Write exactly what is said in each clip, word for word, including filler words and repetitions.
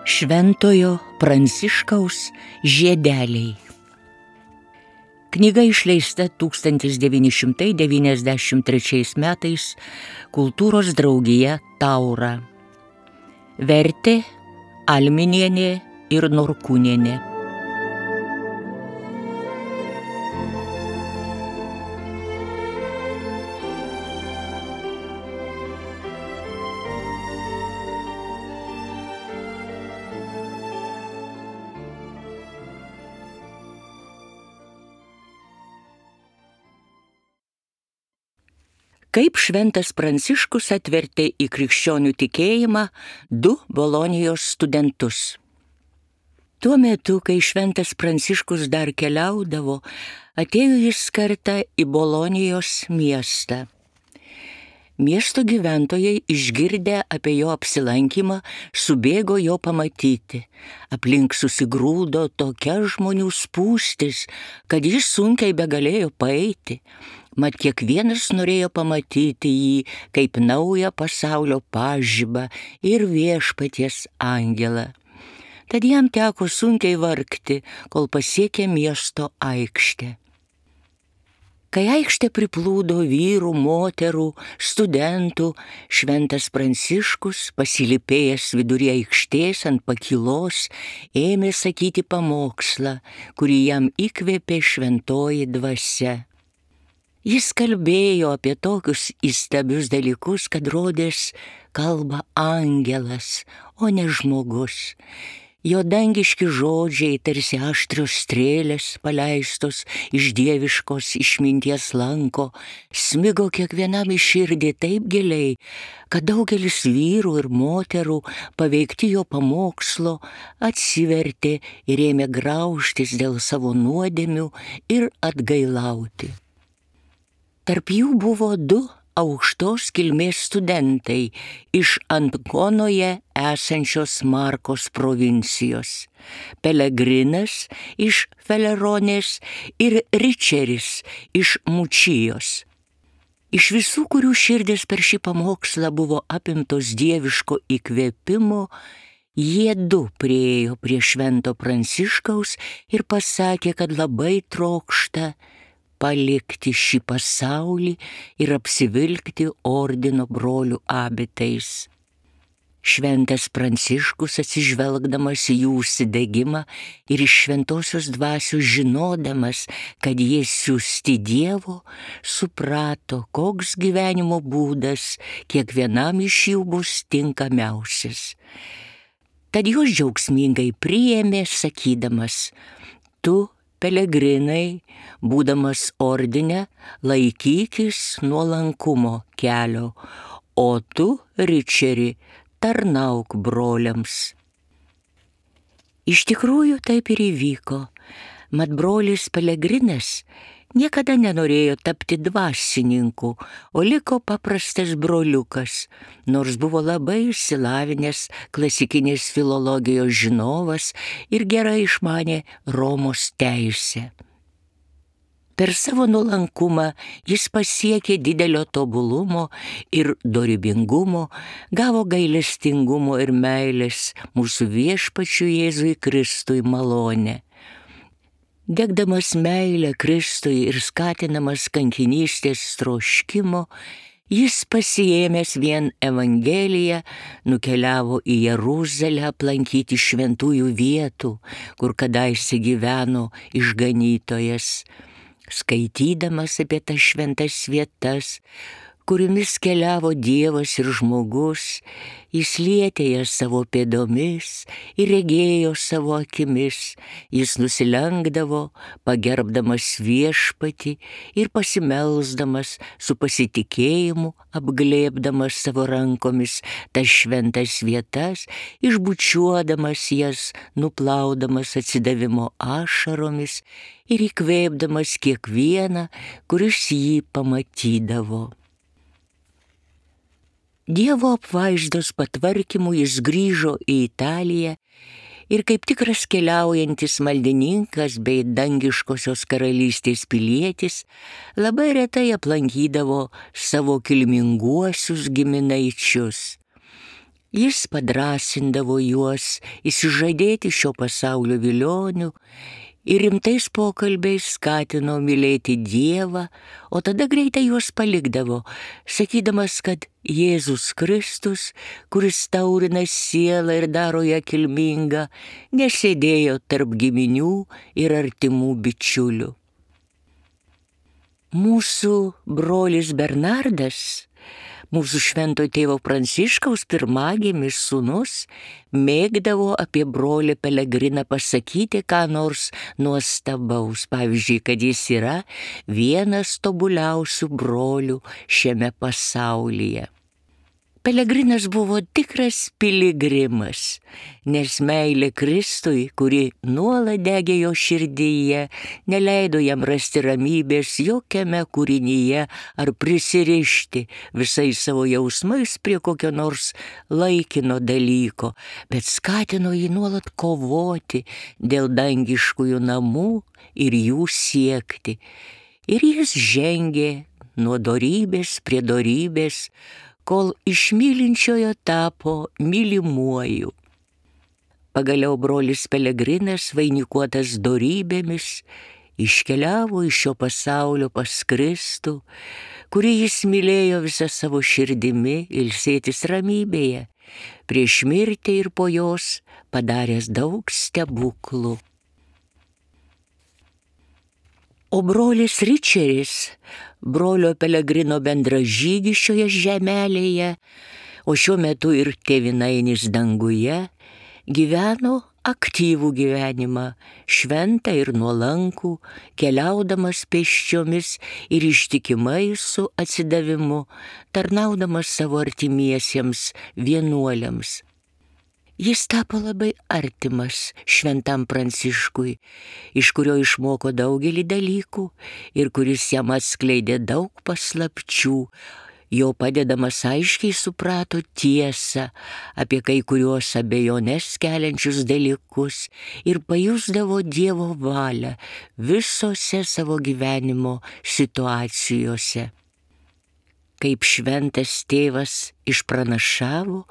Šventojo Pranciškaus žiedeliai. Knyga išleista tūkstantis devyni šimtai devyniasdešimt trečiais metais Kultūros draugija Taura. Vertė Alminienė ir Norkūnienė. Kaip šventas Pranciškus atvertė į krikščionių tikėjimą du Bolonijos studentus. Tuo metu, kai šventas Pranciškus dar keliaudavo, atėjo jis kartą į Bolonijos miestą. Miesto gyventojai, išgirdę apie jo apsilankymą, subėgo jo pamatyti. Aplink susigrūdo tokia žmonių spūstis, kad jis sunkiai begalėjo paeiti. Mat kiekvienas norėjo pamatyti jį kaip naują pasaulio pažibą ir viešpaties angelą. Tad jam teko sunkiai vargti, kol pasiekė miesto aikštę. Kai aikštė priplūdo vyrų, moterų, studentų, šventas Pranciškus, pasilypėjęs vidury aikštės ant pakylos, ėmė sakyti pamokslą, kurį jam įkvėpė šventoji dvasia. Jis kalbėjo apie tokius įstabius dalykus, kad rodės kalba angelas, o ne žmogus. Jo dangiški žodžiai, tarsi aštrios strėlės paleistos iš dieviškos išminties lanko, smigo kiekvienam į širdį taip giliai, kad daugelis vyrų ir moterų, paveikti jo pamokslo, atsivertė ir ėmė graužtis dėl savo nuodėmių ir atgailauti. Tarp jų buvo du aukštos kilmės studentai iš Ankonoje esančios Markos provincijos, Pelegrinas iš Feleronės ir Ričeris iš Mučijos. Iš visų, kurių širdis per šį pamokslą buvo apimtos dieviško įkvėpimo, jie du priėjo prie švento Pranciškaus ir pasakė, kad labai trokšta palikti šį pasaulį ir apsivilkti ordino brolių abitais. Šventas Pranciškus, atsižvelgdamas į jų užsidegimą ir iš šventosios dvasios žinodamas, kad jie siųsti Dievo, suprato, koks gyvenimo būdas kiekvienam iš jų bus tinkamiausias. Tad juos džiaugsmingai priėmė, sakydamas: tu, Pelegrinai, būdamas ordine, laikykis nuolankumo kelio, o tu, Ričeri, tarnauk broliams. Iš tikrųjų taip ir įvyko, mat brolis Pelegrinas niekada nenorėjo tapti dvasininku, o liko paprastas broliukas, nors buvo labai išsilavinęs klasikinės filologijos žinovas ir gerai išmanė Romos teisę. Per savo nuolankumą jis pasiekė didelio tobulumo ir dorybingumo, gavo gailestingumo ir meilės mūsų viešpačiui Jėzui Kristui malonę. Degdamas meilę Kristui ir skatinamas kankinystės troškimo, jis pasiėmęs vien Evangeliją nukeliavo į Jeruzalę aplankyti šventųjų vietų, kur kadaise gyveno išganytojas. Skaitydamas apie tas šventas vietas, kuriomis keliavo Dievas ir žmogus, jis lietė jas savo pėdomis ir regėjo savo akimis, jis nusilenkdavo, pagerbdamas viešpatį ir pasimelsdamas su pasitikėjimu, apglėbdamas savo rankomis tas šventas vietas, išbučiuodamas jas, nuplaudamas atsidavimo ašaromis ir įkvėpdamas kiekvieną, kuris jį pamatydavo. Dievo apvaizdos patvarkymu jis grįžo į Italiją Ir kaip tikras keliaujantis maldininkas bei dangiškosios karalystės pilietis, labai retai aplankydavo savo kilminguosius giminaičius. Jis padrąsindavo juos įsižadėti šio pasaulio vilionių ir rimtais pokalbiais skatino mylėti Dievą, o tada greitai juos palikdavo, sakydamas, kad Jėzus Kristus, kuris taurina sielą ir daro ją kilmingą, nesėdėjo tarp giminių ir artimų bičiulių. Mūsų brolis Bernardas, mūsų švento tėvo Pranciškaus pirmagimis sūnus, mėgdavo apie brolį Pelegriną pasakyti ką nors nuostabaus, pavyzdžiui, kad jis yra vienas tobuliausių brolių šiame pasaulyje. Pelegrinas buvo tikras piligrimas, nes meilė Kristui, kuri nuolat degė jo širdyje, neleido jam rasti ramybės jokiame kūrinyje ar prisirišti visais savo jausmais prie kokio nors laikino dalyko, bet skatino jį nuolat kovoti dėl dangiškųjų namų ir jų siekti. Ir jis žengė nuo dorybės prie dorybės, kol iš mylinčiojo tapo mylimuoju. Pagaliau brolis Pelegrinas, vainikuotas dorybėmis, iškeliavo iš šio pasaulio pas Kristų, kurį jis mylėjo visą savo širdimi, ilsėtis ramybėje, prieš mirtį ir po jos padaręs daug stebuklų. O brolis Ričeris, brolio Pelegrino bendražygis šioje žemelėje, o šiuo metu ir tėvynainis danguje, gyveno aktyvų gyvenimą, šventą ir nuolankų, keliaudamas pėsčiomis ir ištikimai su atsidavimu, tarnaudamas savo artimiesiems vienuoliams. Jis tapo labai artimas šventam Pranciškui, iš kurio išmoko daugelį dalykų ir kuris jam atskleidė daug paslapčių. Jo padedamas aiškiai suprato tiesą apie kai kuriuos abejones keliančius dalykus ir pajusdavo Dievo valią visose savo gyvenimo situacijose. Kaip šventas tėvas išpranašavo,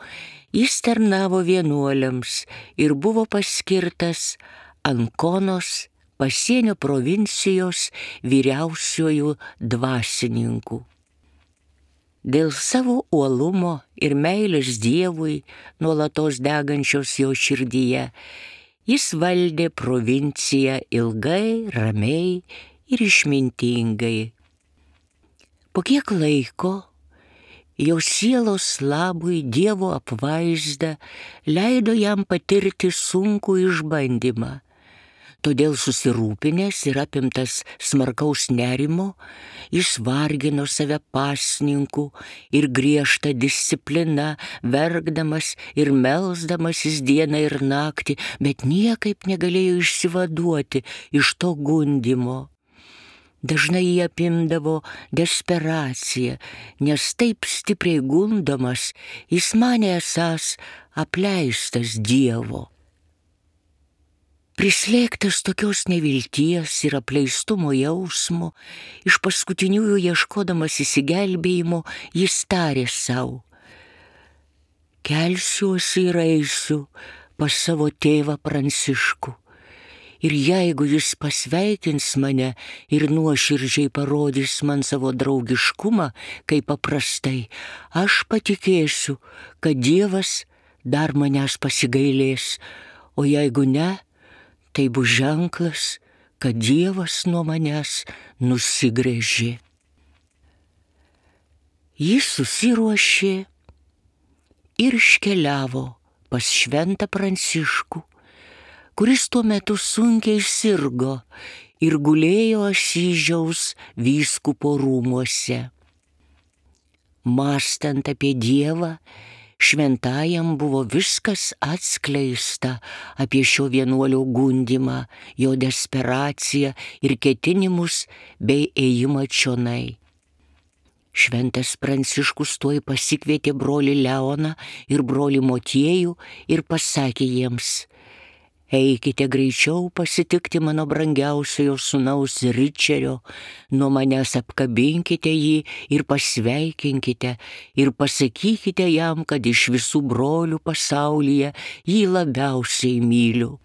jis tarnavo vienuoliams ir buvo paskirtas Ankonos pasienio provincijos vyriausiuoju dvasininku. Dėl savo uolumo ir meilės Dievui, nuolatos degančios jo širdyje, jis valdė provinciją ilgai, ramiai ir išmintingai. Po kiek laiko jo sielos labui Dievo apvaizda leido jam patirti sunkų išbandymą. Todėl susirūpinęs ir apimtas smarkaus nerimo, jis vargino save pasninku ir griežta disciplina, verkdamas ir melsdamasis dieną ir naktį, bet niekaip negalėjo išsivaduoti iš to gundymo. Dažnai jį apimdavo desperacija, nes taip stipriai gundomas, jis manė esąs apleistas Dievo. Prislėgtas tokios nevilties ir apleistumo jausmo, iš paskutiniųjų ieškodamas įsigelbėjimo, jis tarė sau: kelsiuosi ir eisiu pas savo tėvą Pranciškų. Ir jeigu jis pasveikins mane ir nuoširdžiai parodys man savo draugiškumą, kaip paprastai, aš patikėsiu, kad Dievas dar manęs pasigailės, o jeigu ne, tai bus ženklas, kad Dievas nuo manęs nusigręžė. Jis susiruošė ir iškeliavo pas šventą Pranciškų, kuris tuo metu sunkiai sirgo ir gulėjo Asyžiaus vyskupo rūmuose. Mąstant apie Dievą, šventajam buvo viskas atskleista apie šio vienuolio gundymą, jo desperaciją ir ketinimus bei ėjimą čionai. Šventas Pranciškus tuoj pasikvietė brolį Leoną ir brolį Motiejų ir pasakė jiems: Eikite greičiau pasitikti mano brangiausiojo sūnaus Ričerio, nuo manęs apkabinkite jį ir pasveikinkite ir pasakykite jam, kad iš visų brolių pasaulyje jį labiausiai myliu.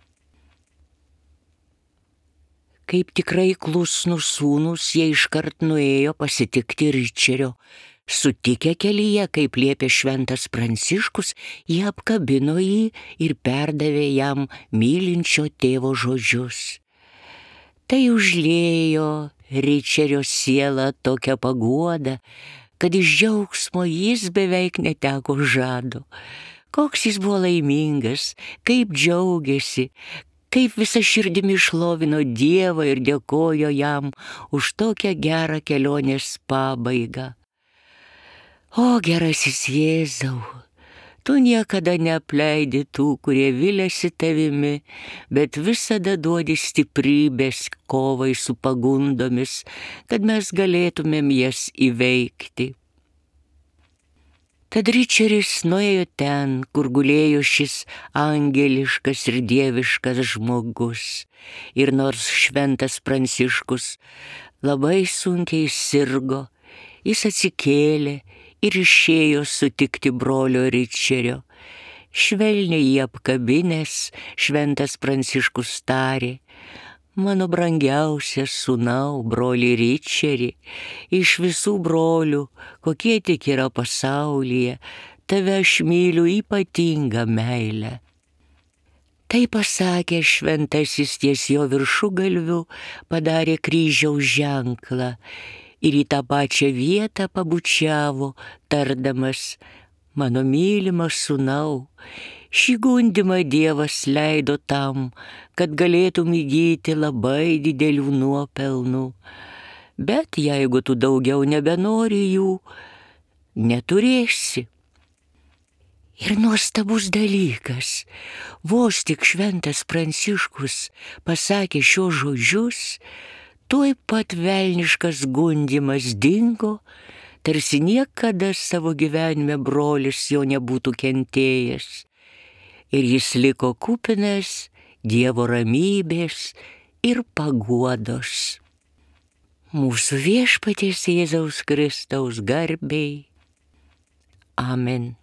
Kaip tikrai klusnūs sūnūs, jie iškart nuėjo pasitikti Ričerio. Sutikę kelyje, kaip liepė šventas Pranciškus, jie apkabino jį ir perdavė jam mylinčio tėvo žodžius. Tai užliejo Ričerio sielą tokią paguodą, kad iš džiaugsmo jis beveik neteko žado. Koks jis buvo laimingas, kaip džiaugiasi, kaip visa širdimi šlovino Dievą ir dėkojo jam už tokią gerą kelionės pabaigą. O gerasis Jėzau, tu niekada neapleidi tų, kurie viliasi tavimi, bet visada duodi stiprybės kovai su pagundomis, kad mes galėtumėm jas įveikti. Tad Ričeris nuėjo ten, kur gulėjo šis angeliškas ir dieviškas žmogus. Ir nors šventas Pranciškus labai sunkiai sirgo, jis atsikėlė ir išėjo sutikti brolio Ričerio. Švelniai jį apkabinęs, šventas Pranciškus tarė: mano brangiausias sūnau, broli Ričeri, iš visų brolių, kokie tik yra pasaulyje, tave aš myliu ypatingą meilę. Tai pasakė šventasis ties jo viršugalviu, padarė kryžiaus ženklą ir į tą pačią vietą pabučiavo, tardamas: mano mylimas sūnau, šį gundymą Dievas leido tam, kad galėtum įgyti labai didelių nuopelnų. Bet jeigu tu daugiau nebenori jų, neturėsi. Ir nuostabus dalykas, vos tik šventas Pranciškus pasakė šios žodžius, tuoj pat velniškas gundymas dingo, tarsi niekada savo gyvenime brolis jo nebūtų kentėjęs. Ir jis liko kupinas Dievo ramybės ir paguodos. Mūsų Viešpaties Jėzaus Kristaus garbei. Amen.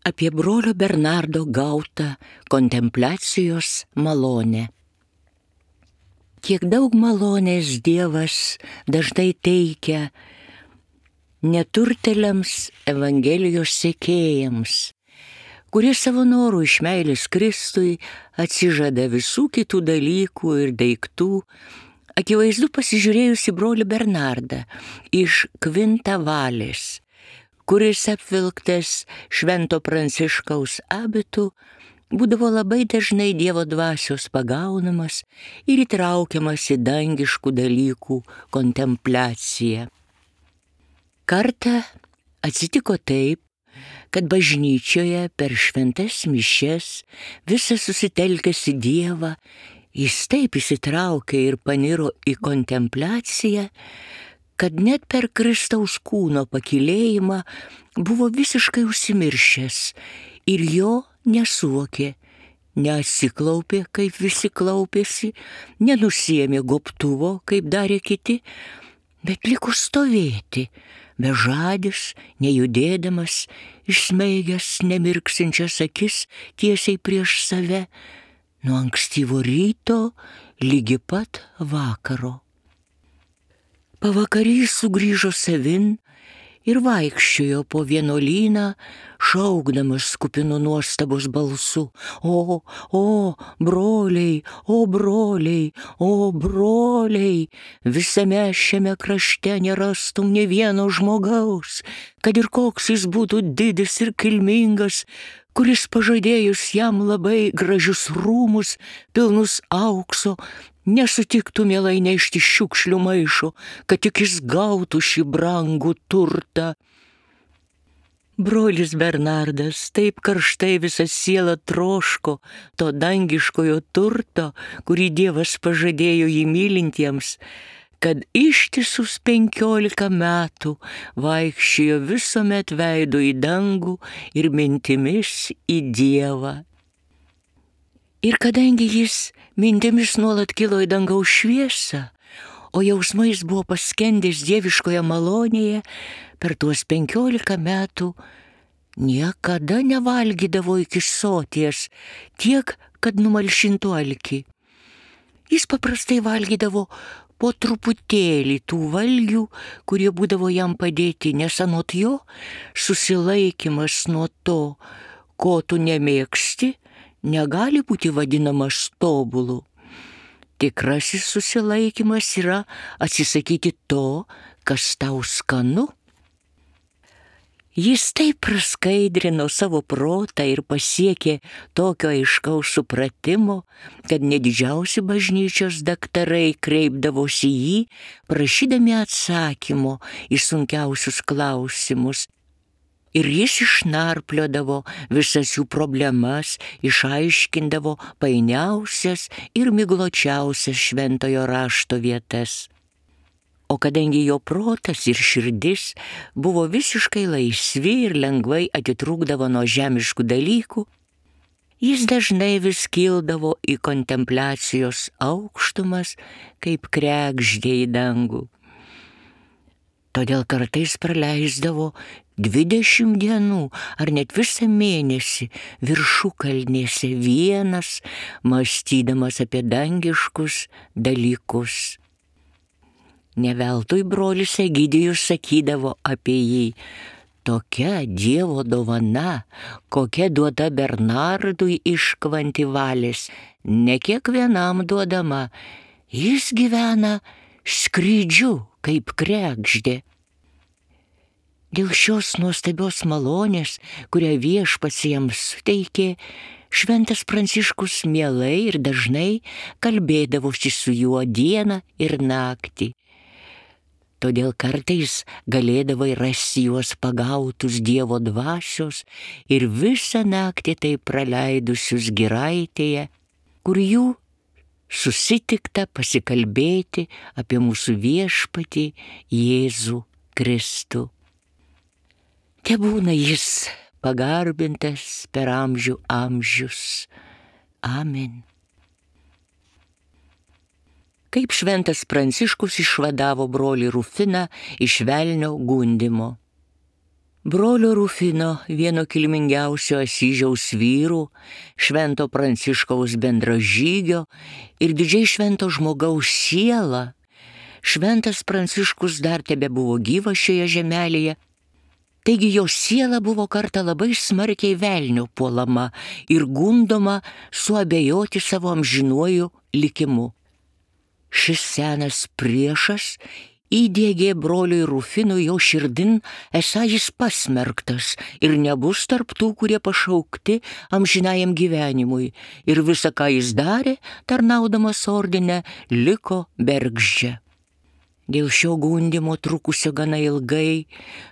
Apie brolio Bernardo gautą kontempliacijos malonę. Kiek daug malonės Dievas dažnai teikia neturtėliams Evangelijos sekėjams, kurie savo norų iš meilės Kristui atsižada visų kitų dalykų ir daiktų. Akivaizdu, pasižiūrėjus į brolį Bernardą iš Kvintavalės, kuris apvilktas švento Pranciškaus abitu, būdavo labai dažnai Dievo dvasios pagaunamas ir įtraukiamas į dangiškų dalykų kontempliaciją. Kartą atsitiko taip, kad bažnyčioje per šventas mišias visas susitelkęs į Dievą, jis taip įsitraukė ir paniro į kontempliaciją, kad net per Kristaus kūno pakylėjimą buvo visiškai užsimiršęs ir jo nesuvokė, neatsiklaupė, kaip visi klaupėsi, nenusiėmė gobtuvo, kaip darė kiti, bet liko stovėti, bežadis, nejudėdamas, išsmeigęs nemirksinčias akis tiesiai prieš save, nuo ankstyvo ryto ligi pat vakaro. Pavakary sugrįžo savin ir vaikščiojo po vienuolyną, šaukdamas kupinu nuostabos balsu: O, o, broliai, o, broliai, o, broliai, visame šiame krašte nerastum nė vieno žmogaus, kad ir koks jis būtų didis ir kilmingas, kuris pažadėjus jam labai gražius rūmus, pilnus aukso, nesutiktų mielai nešti šiukšlių maišo, kad tik jis gautų šį brangų turtą. Brolis Bernardas taip karštai visą sielą troško to dangiškojo turto, kurį Dievas pažadėjo jį mylintiems, kad ištisus penkiolika metų vaikščiojo visuomet veidu į dangų ir mintimis į Dievą. Ir kadangi jis mintimis nuolat kilo į dangaus šviesą, o jausmais buvo paskendęs dieviškoje malonėje, per tuos penkiolika metų niekada nevalgydavo iki soties tiek, kad numalšintų alkį. Jis paprastai valgydavo po truputėlį tų valgių, kurie būdavo jam padėti, nes anot jo susilaikymas nuo to, ko tu nemėgsti, negali būti vadinamas tobulu. Tikrasis susilaikymas yra atsisakyti to, kas tau skanu. Jis taip praskaidrino savo protą ir pasiekė tokio aiškaus supratimo, kad net didžiausi bažnyčios daktarai kreipdavosi į jį, prašydami atsakymo į sunkiausius klausimus. Ir jis išnarpliodavo visas jų problemas, išaiškindavo painiausias ir migločiausias šventojo rašto vietas. O kadangi jo protas ir širdis buvo visiškai laisvi ir lengvai atitrūkdavo nuo žemiškų dalykų, jis dažnai vis kildavo į kontempliacijos aukštumas, kaip kregždė į dangų. Todėl kartais praleisdavo dvidešimt dienų ar net visą mėnesį viršukalnėse vienas, mąstydamas apie dangiškus dalykus. Ne veltui brolis Egidijus sakydavo apie jį: tokia Dievo dovana, kokia duota Bernardui iš Kvantivalės, ne kiekvienam duodama, jis gyvena skrydžiu kaip kregždė. Dėl šios nuostabios malonės, kurią Viešpats jiems suteikė, šventas Pranciškus mielai ir dažnai kalbėdavosi su juo dieną ir naktį. Todėl kartais galėdavai rasti juos pagautus Dievo dvasios ir visą naktį tai praleidusius giraitėje, kur jų susitikta pasikalbėti apie mūsų Viešpatį Jėzų Kristų. Tebūna jis pagarbintas per amžių amžius. Amen. Kaip šventas Pranciškus išvadavo brolį Rufiną iš velnio gundymo. Brolio Rufino, vieno kilmingiausio Asyžiaus vyrų, švento Pranciškaus bendražygio ir didžiai švento žmogaus siela, šventas Pranciškus dar tebebuvo gyvas šioje žemelėje, taigi jo siela buvo kartą labai smarkiai velnio puolama ir gundoma suabejoti savo amžinuoju likimu. Šis senas priešas įdiegė broliui Rufinui jo širdin, esą jis pasmerktas ir nebus tarp tų, kurie pašaukti amžinajam gyvenimui, ir visa, ką jis darė, tarnaudamas ordine, liko bergždžia. Dėl šio gundymo trukusio gana ilgai,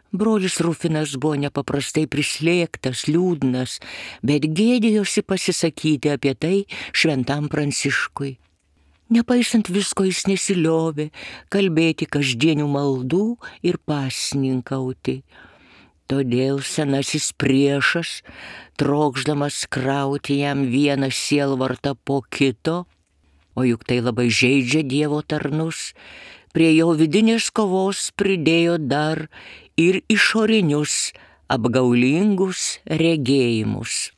brolis Rufinas buvo nepaprastai prislėgtas, liūdnas, bet gėdėjosi pasisakyti apie tai šventam Pranciškui. Nepaisant visko jis nesiliovė kalbėti kasdienių maldų ir pasninkauti. Todėl senasis priešas, trokšdamas krauti jam vieną sielvartą po kito, o juk tai labai žeidžia Dievo tarnus, prie jo vidinės kovos pridėjo dar ir išorinius apgaulingus regėjimus.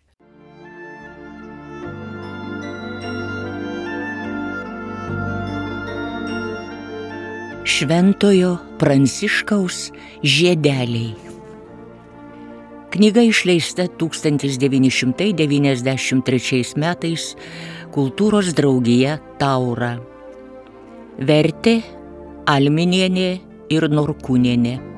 Šventojo Pranciškaus žiedeliai. Knyga išleista tūkstantis devyni šimtai devyniasdešimt trečiais metais Kultūros draugija Taura. Vertė Alminienė ir Norkūnienė.